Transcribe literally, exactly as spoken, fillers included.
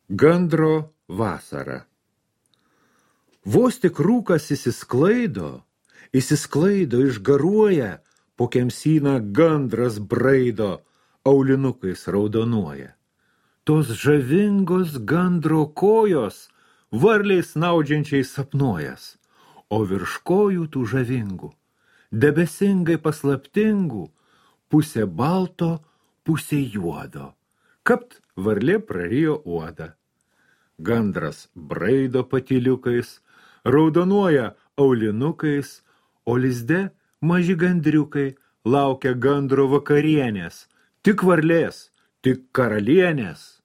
Gandro vasara. Vos tik rūkas įsisklaido, įsisklaido, išgaruoja, po kemsyną gandras braido, aulinukais raudonuoja. Tos žavingos gandro kojos varliais snaudžiančiai sapnuojas, o virš kojų tų žavingų, debesingai paslaptingų, pusė balto, pusė juodo. Kapt varlė prarijo uodą. Gandras braido patyliukais, raudonuoja aulinukais, o lizde maži gandriukai laukia gandro vakarienės, tik varlės, tik karalienės.